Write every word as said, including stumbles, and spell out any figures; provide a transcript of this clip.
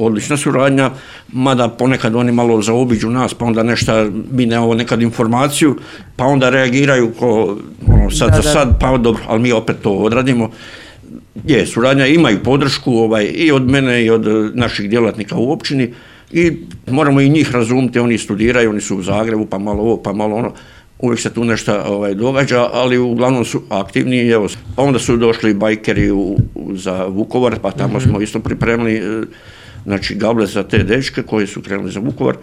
odlična suradnja, mada ponekad oni malo zaobiđu nas, pa onda nešto, mi nemamo nekad informaciju, pa onda reagiraju ko, ono, sad za sad, pa dobro, ali mi opet to odradimo. Je, suradnja, imaju podršku ovaj, i od mene i od naših djelatnika u općini i moramo i njih razumjeti, oni studiraju, oni su u Zagrebu, pa malo ovo, pa malo ono, uvijek se tu nešto ovaj, događa, ali uglavnom su aktivni. Evo, pa onda su došli bajkeri u, u, za Vukovar, pa tamo mm-hmm. smo isto pripremili znači, gable za te dečke koji su krenuli za Vukovar.